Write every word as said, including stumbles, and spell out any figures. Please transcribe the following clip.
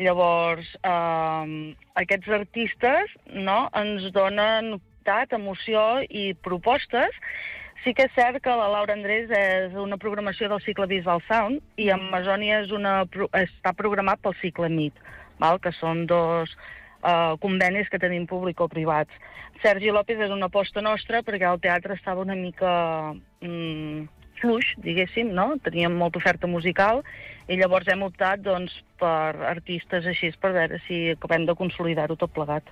Llavors, eh, aquests artistes, no, ens donen novetat, emoció i propostes. Sí que és cert que la Laura Andrés és una programació del cicle Visual Sound i Amazònia és una, està programat pel cicle M I T, val? Que són dos uh, convenis que tenim públic-privats. Sergi López és una aposta nostra perquè el teatre estava una mica mm, fluix, diguéssim, no? Teníem molta oferta musical i llavors hem optat doncs, per artistes així per veure si acabem de consolidar-ho tot plegat.